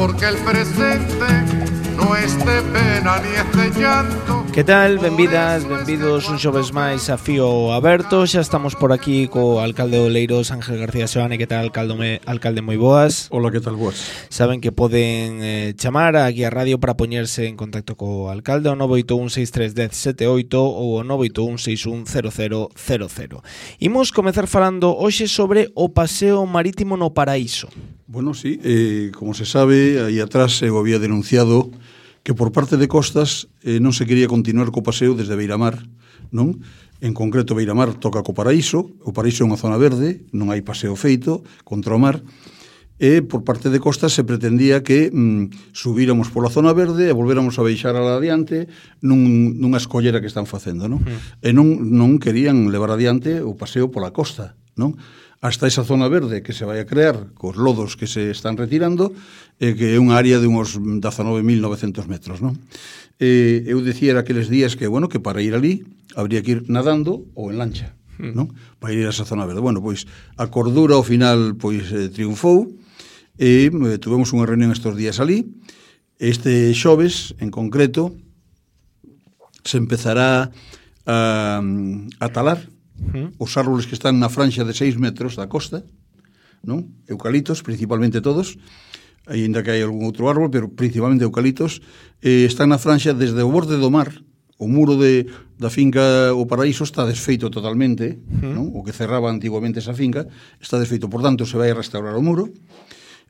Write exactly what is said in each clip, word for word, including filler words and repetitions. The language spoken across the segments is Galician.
porque el presente no es de pena ni es de llanto. Que tal? Benvidas, benvidos un xoves máis a Fío Aberto. Xa estamos por aquí co alcalde de Oleiros, Ángel García Seoane. Que tal, alcalde? Alcalde, moi boas. Hola, que tal, boas. Saben que poden eh, chamar aquí a radio para poñerse en contacto co alcalde o nove oito un seis tres un zero sete oito ou o nove oito un seis un cero cero cero cero. Imos comezar falando hoxe sobre o paseo marítimo no Paraíso. Bueno, sí, eh, como se sabe, aí atrás eu había denunciado que por parte de Costas eh, non se quería continuar co paseo desde Beiramar, non? En concreto, Beiramar toca co Paraíso, o Paraíso é unha zona verde, non hai paseo feito contra o mar, e por parte de Costas se pretendía que mm, subíramos pola zona verde e volvéramos a baixar ala adiante nun, nunha escollera que están facendo, non? Mm. E non, non querían levar adiante o paseo pola costa, non? Hasta esa zona verde que se vai a crear cos lodos que se están retirando, eh, que é unha área de uns dezanove mil novecentos metros, non? Eh, eu dicía aqueles días que, bueno, que para ir ali habría que ir nadando ou en lancha, non? Para ir a esa zona verde. Bueno, pois a cordura ao final pois eh, triunfou e eh, tuvemos unha reunión estes días ali. Este xoves, en concreto, se empezará a, a talar Uh-huh. os árboles que están na franxa de seis metros da costa, non? Eucalitos, principalmente todos, aínda que hai algún outro árbol, pero principalmente eucalitos, eh, están na franxa desde o borde do mar. O muro de, da finca O Paraíso está desfeito totalmente, uh-huh. non? O que cerraba antiguamente esa finca está desfeito, por tanto se vai a restaurar o muro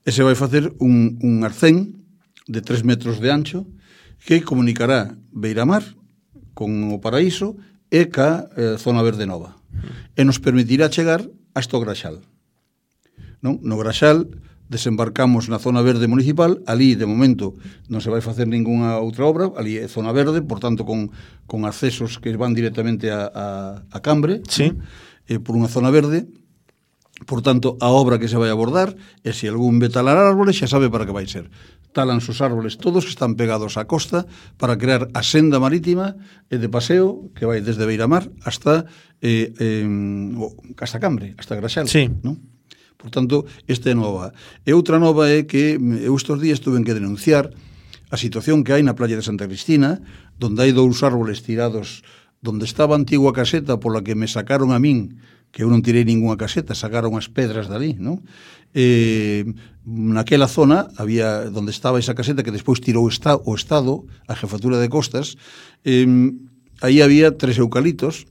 e se vai facer un, un arcén de tres metros de ancho que comunicará Beiramar con O Paraíso e ca eh, zona verde nova. E nos permitirá chegar hasta o Graxal. Non? No Graxal desembarcamos na zona verde municipal, ali de momento non se vai facer ningunha outra obra, ali é zona verde, por tanto con, con accesos que van directamente a, a, a Cambre, sí. eh, por unha zona verde. Por tanto, a obra que se vai abordar é se algún ve talar árboles, xa sabe para que vai ser. Talan os árboles todos que están pegados á costa para crear a senda marítima e de paseo que vai desde Beiramar hasta eh, eh, hasta Cambre, hasta Graxal, sí. non? Por tanto, esta é nova. E outra nova é que eu estes días tuve que denunciar a situación que hai na playa de Santa Cristina, donde hai dous árboles tirados donde estaba a antigua caseta pola que me sacaron a min, que eu non tirei ninguna caseta, sacaron as pedras dali, non? Eh, naquela zona había donde estaba esa caseta que despois tirou esta, o Estado, a Jefatura de Costas, eh, aí había tres eucalitos,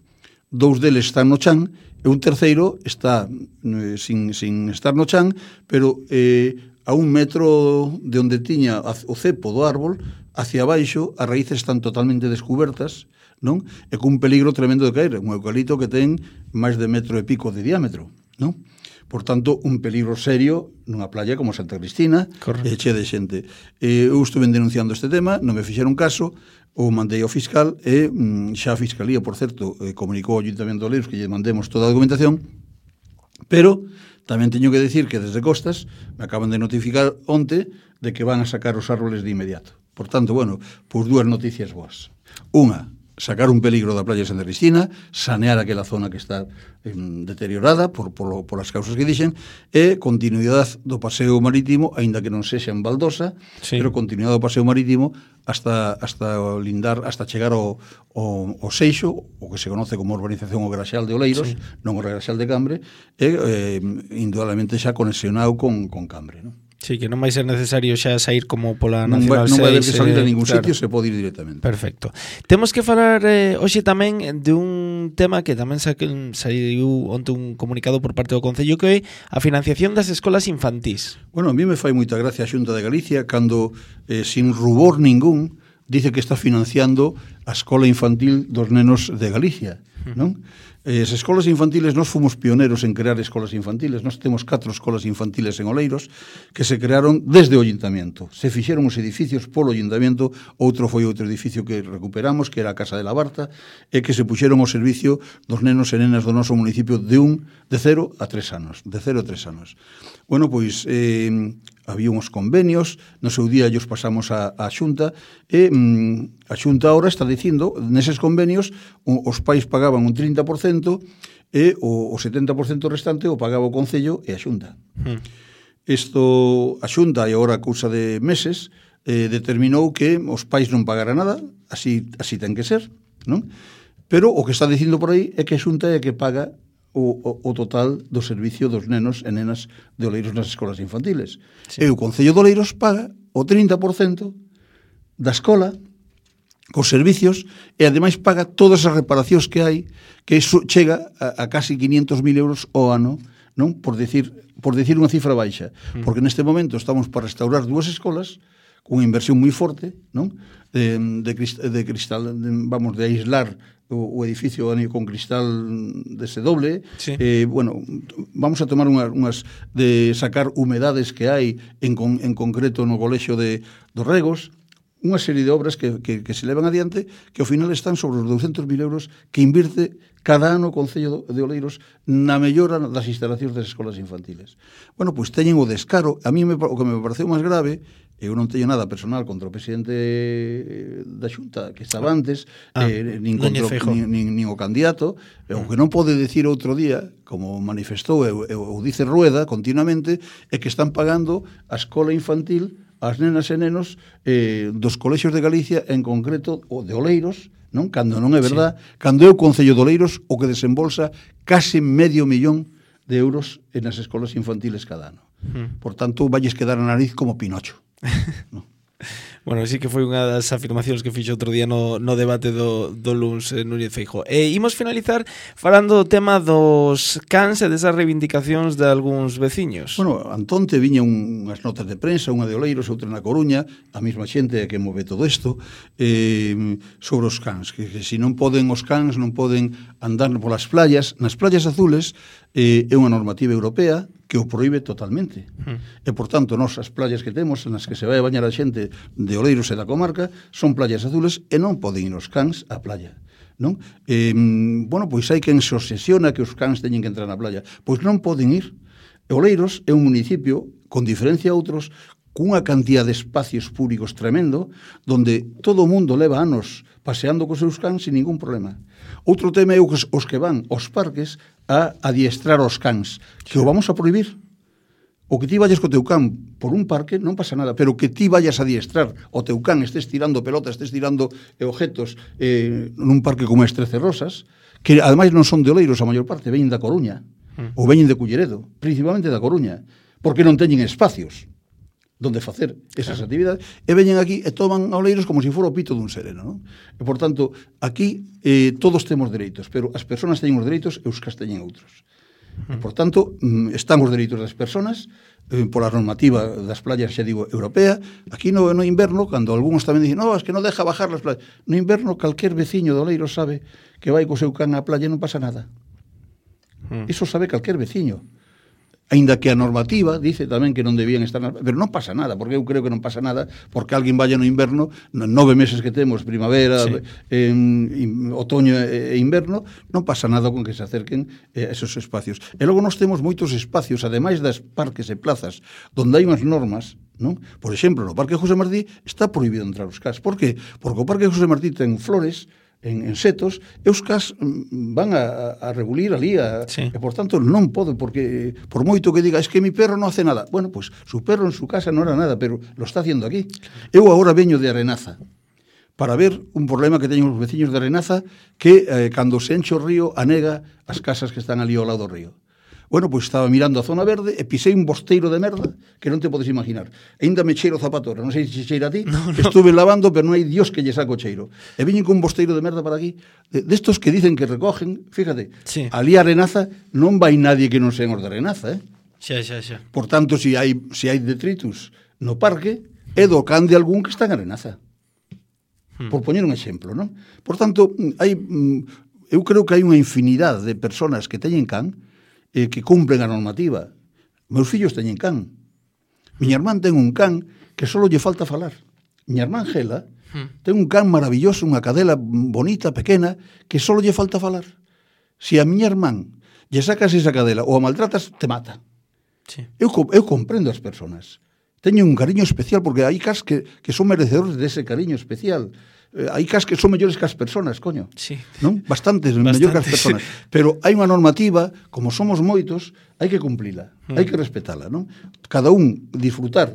dous deles están no chan e un terceiro está eh, sin, sin estar no chan, pero eh, a un metro de onde tiña o cepo do árbol, hacia abaixo, as raíces están totalmente descubertas, non? E cun peligro tremendo de caer, un eucalipto que ten máis de metro e pico de diámetro, non? Por tanto, un peligro serio nunha playa como Santa Cristina, e che de xente. Eh, eu estuve denunciando este tema, non me fixeron caso, o mandei ao fiscal e mm, xa a Fiscalía, por certo, eh, comunicou ao Ayuntamiento de Oleiros que lle mandemos toda a documentación, pero tamén teño que decir que desde Costas me acaban de notificar onte de que van a sacar os árboles de inmediato. Por tanto, bueno, pois dúas noticias boas. Unha, sacar un peligro da playa de Santa Cristina, sanear aquela zona que está eh, deteriorada por, por, por as causas que dixen, e continuidade do paseo marítimo, aínda que non sexa en baldosa, sí. Pero continuidade do paseo marítimo hasta, hasta lindar, hasta chegar ao, ao, ao Seixo, o que se conoce como urbanización o Graxal de Oleiros, sí. Non o Graxal de Cambre, e eh, indudablemente xa conexionado con, con Cambre, non? Sí, que non vai ser necesario xa sair como pola Nacional seis. Non vai haber que seis, salir a ningún claro. sitio, se pode ir directamente. Perfecto. Temos que falar eh, hoxe tamén de un tema que tamén saiu onte un comunicado por parte do Concello, que é a financiación das escolas infantís. Bueno, a mí me fai moita gracia a Xunta de Galicia cando, eh, sin rubor ningún, dice que está financiando a escola infantil dos nenos de Galicia, non? As escolas infantiles, nós fomos pioneros en crear escolas infantiles. Nós temos catro escolas infantiles en Oleiros que se crearon desde o Ayuntamiento. Se fixeron os edificios polo Ayuntamiento, outro foi outro edificio que recuperamos, que era a Casa de la Barta, e que se puxeron ao servicio dos nenos e nenas do noso municipio de un de cero a tres anos. De cero a tres anos. Bueno, pois eh, había uns convenios, no seu día ellos pasamos a, a Xunta, e mm, a Xunta ahora está dicindo, neses convenios, os pais pagaban un trinta por cento e o, o setenta por cento restante o pagaba o Concello e a Xunta. Hmm. Isto a Xunta, e agora a cousa de meses, eh, determinou que os pais non pagaran nada, así, así ten que ser, non? Pero o que está dicindo por aí é que a Xunta é que paga o, o, o total do servicio dos nenos e nenas de Oleiros nas escolas infantiles. Sí. E o Concello de Oleiros paga o trinta por cento da escola cos servicios e ademais paga todas as reparacións que hai, que iso chega a, a casi quinientos mil euros ao ano, non? Por decir, por decir unha cifra baixa, mm. porque neste momento estamos para restaurar dúas escolas con unha inversión moi forte, non? De, de, cristal, de cristal, de, vamos, de aislar o, o edificio con cristal dese doble. Sí. Eh, bueno, vamos a tomar unhas, unhas de sacar humedades que hai en, con, en concreto no colexio de dos Regos, unha serie de obras que, que, que se levan adiante, que ao final están sobre os douscentos mil euros que invirte cada ano o Concello de Oleiros na mellora das instalacións das escolas infantiles. Bueno, pois teñen o descaro. A mí me, o que me pareceu máis grave, eu non teño nada personal contra o presidente da Xunta que estaba antes, ah, eh, nin, contra, nin, nin, nin o candidato, e o que non pode decir outro día, como manifestou ou, ou dice Rueda continuamente, é que están pagando a escola infantil as nenas e nenos eh, dos colexios de Galicia, en concreto o de Oleiros, non? Cando non é verdad, sí. Cando é o Concello de Oleiros o que desembolsa case medio millón de euros nas escolas infantiles cada ano. Mm. Por tanto, valles quedar a nariz como Pinocho. ¿No? Bueno, sí que foi unha das afirmacións que fixo outro día no, no debate do, do Luns eh, Núñez Feijóo. E imos finalizar falando do tema dos cans e desas reivindicacións de algúns veciños. Bueno, Antonte viña unhas notas de prensa, unha de Oleiros, outra na Coruña, a mesma xente que move todo isto, eh, sobre os cans, que, que se non poden os cans, non poden andar polas playas. Nas playas azules eh, é unha normativa europea que o proíbe totalmente. Mm. E, por tanto, nós as playas que temos, nas que se vai a bañar a xente de Oleiros e da comarca, son playas azules e non poden ir os cans á playa. Non? Eh, bueno, pois hai quen se obsesiona que os cans teñen que entrar na playa. Pois non poden ir. Oleiros é un municipio, con diferencia a outros, cunha cantidad de espacios públicos tremendo, donde todo o mundo leva anos paseando cos seus cans sin ningún problema. Outro tema é os, os que van aos parques a adiestrar os cans, que o vamos a prohibir. O que ti vayas co teu can por un parque non pasa nada, pero que ti vayas a adiestrar o teu can, estés tirando pelotas, estés tirando objetos eh, nun parque como este Trece Rosas, que ademais non son de Oleiros, a maior parte veñen da Coruña, mm. ou veñen de Culleredo, principalmente da Coruña, porque non teñen espacios donde facer esas claro. actividades, e veñen aquí e toman a Oleiros como se fora o pito dun sereno, non? E, por tanto, aquí eh, todos temos dereitos, pero as persoas teñen os dereitos e os cas teñen outros. E, por tanto, están os dereitos das persoas eh, pola normativa das playas, xa digo, europea. Aquí no, no inverno, cando algúns tamén dicen, no, es que non deja bajar las playas. No inverno, calquer veciño de Oleiros sabe que vai co seu can á playa e non pasa nada. Mm. Iso sabe calquer veciño. Ainda que a normativa dice tamén que non debían estar na... pero non pasa nada, porque eu creo que non pasa nada porque alguén vaya no inverno, nove meses que temos, primavera, sí. en, en, otoño e inverno, non pasa nada con que se acerquen eh, esos espacios. E logo nós temos moitos espacios, ademais das parques e plazas, donde hai unhas normas, non? Por exemplo, no Parque José Martí está prohibido entrar os cas. Por que? Porque o Parque José Martí ten flores, en, en setos, e os cas van a, a rebulir ali, a, sí. e por tanto non pode, porque por moito que diga, es que mi perro non hace nada. Bueno, pues su perro en su casa non era nada, pero lo está haciendo aquí. Eu agora veño de Arenaza para ver un problema que teñen os veciños de Arenaza, que eh, cando se enche o río anega as casas que están ali ao lado do río. Bueno, pois estaba mirando a zona verde e pisei un bosteiro de merda que non te podes imaginar. Ainda me cheiro zapatora, non sei se cheira a ti, no, no. Estuve lavando, pero non hai Dios que lle saco cheiro. E viñen con un bosteiro de merda para aquí, destos de que dicen que recogen, fíjate, sí. Ali a Arenaza non vai nadie que non sean os de Arenaza, eh? Xa, xa, xa. Por tanto, se si hai, si hai detritus no parque, é do can de algún que está en Arenaza. Hmm. Por poñer un exemplo, non? Por tanto, hai, eu creo que hai unha infinidade de personas que teñen can eh, que cumplen a normativa. Meus fillos teñen can. Miña irmán ten un can que só lle falta falar. Miña irmán Gela hmm. ten un can maravilloso, unha cadela bonita, pequena, que só lle falta falar. Se a miña irmán lle sacas esa cadela ou a maltratas, te mata. Sí. Eu, eu comprendo as persoas. Teño un cariño especial, porque hai cas que, que son merecedores dese cariño especial. eh, hai cas que son mellores que as personas, coño. Sí. Non? Bastantes, Bastantes. mellor que as personas. Pero hai unha normativa, como somos moitos, hai que cumplila, mm. hai que respetala, non? Cada un disfrutar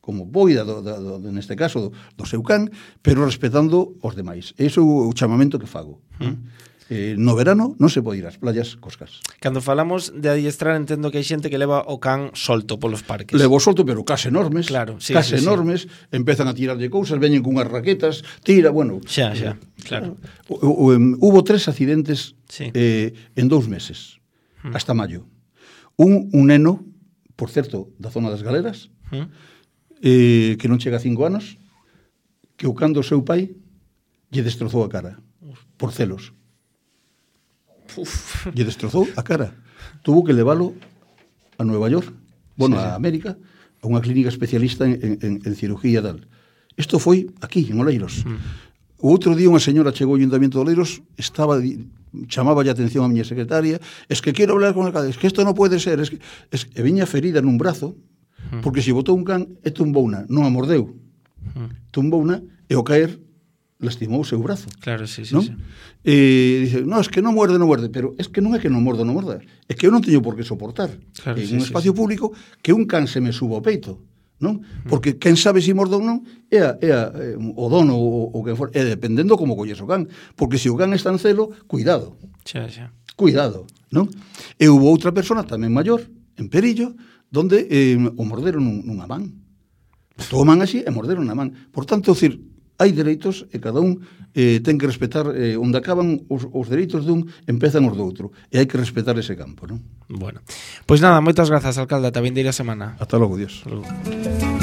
como poida, do, do, do, neste caso, do, do seu can, pero respetando os demais. Ese é o chamamento que fago. Mm. Eh, no verano non se pode ir ás playas coscas. Cando falamos de adiestrar, entendo que hai xente que leva o can solto polos parques. Levo solto, pero cas enormes, claro, sí, cas sí, enormes, sí. Empezan a tirarlle cousas, veñen cunhas raquetas, tira, bueno. Xa, xa, claro. O, o, um, hubo tres accidentes sí. eh, en dous meses, mm. hasta maio. Un, un neno, por certo, da zona das Galeras, mm. eh, que non chega a cinco anos, que o can do seu pai lle destrozou a cara, por celos. Uf. Lle destrozou a cara. Tuvo que leválo a Nueva York, bueno, sí, a América, a unha clínica especialista en, en, en cirugía tal. Isto foi aquí, en Oleiros. Mm. O outro día unha señora chegou ao Ayuntamiento de Oleiros, estaba, chamaba a atención a miña secretaria, es que quero hablar con el can, es que isto non pode ser, es que, es que viña ferida nun brazo, mm. porque se botou un can e tumbouna, non a mordeu. Mm. Tumbouna e ao caer lastimou o seu brazo. Claro, sí, sí, ¿no? sí. E dice, no, es que non muerde, non muerde, pero es que non é que non morda, non morda, é que eu non teño por que soportar claro, en sí, un sí, espacio sí. público que un can se me suba ao peito, non? Porque quen sabe se si morda ou non é, a, é a, é o dono ou, ou quen for, é dependendo como colles o can, porque se o can está en celo, cuidado. Xa, xa. Cuidado, non? E hubo outra persona tamén maior, en Perillo, donde eh, o morderon nun, nunha man. Toman así e morderon na man. Por tanto, decir, hai dereitos e cada un eh, ten que respetar eh, onde acaban os, os dereitos dun, empezan os do outro. E hai que respetar ese campo, non? Bueno, pois pues nada, moitas grazas, alcalde, ata vindeira semana. Ata logo, Dios. Hasta logo.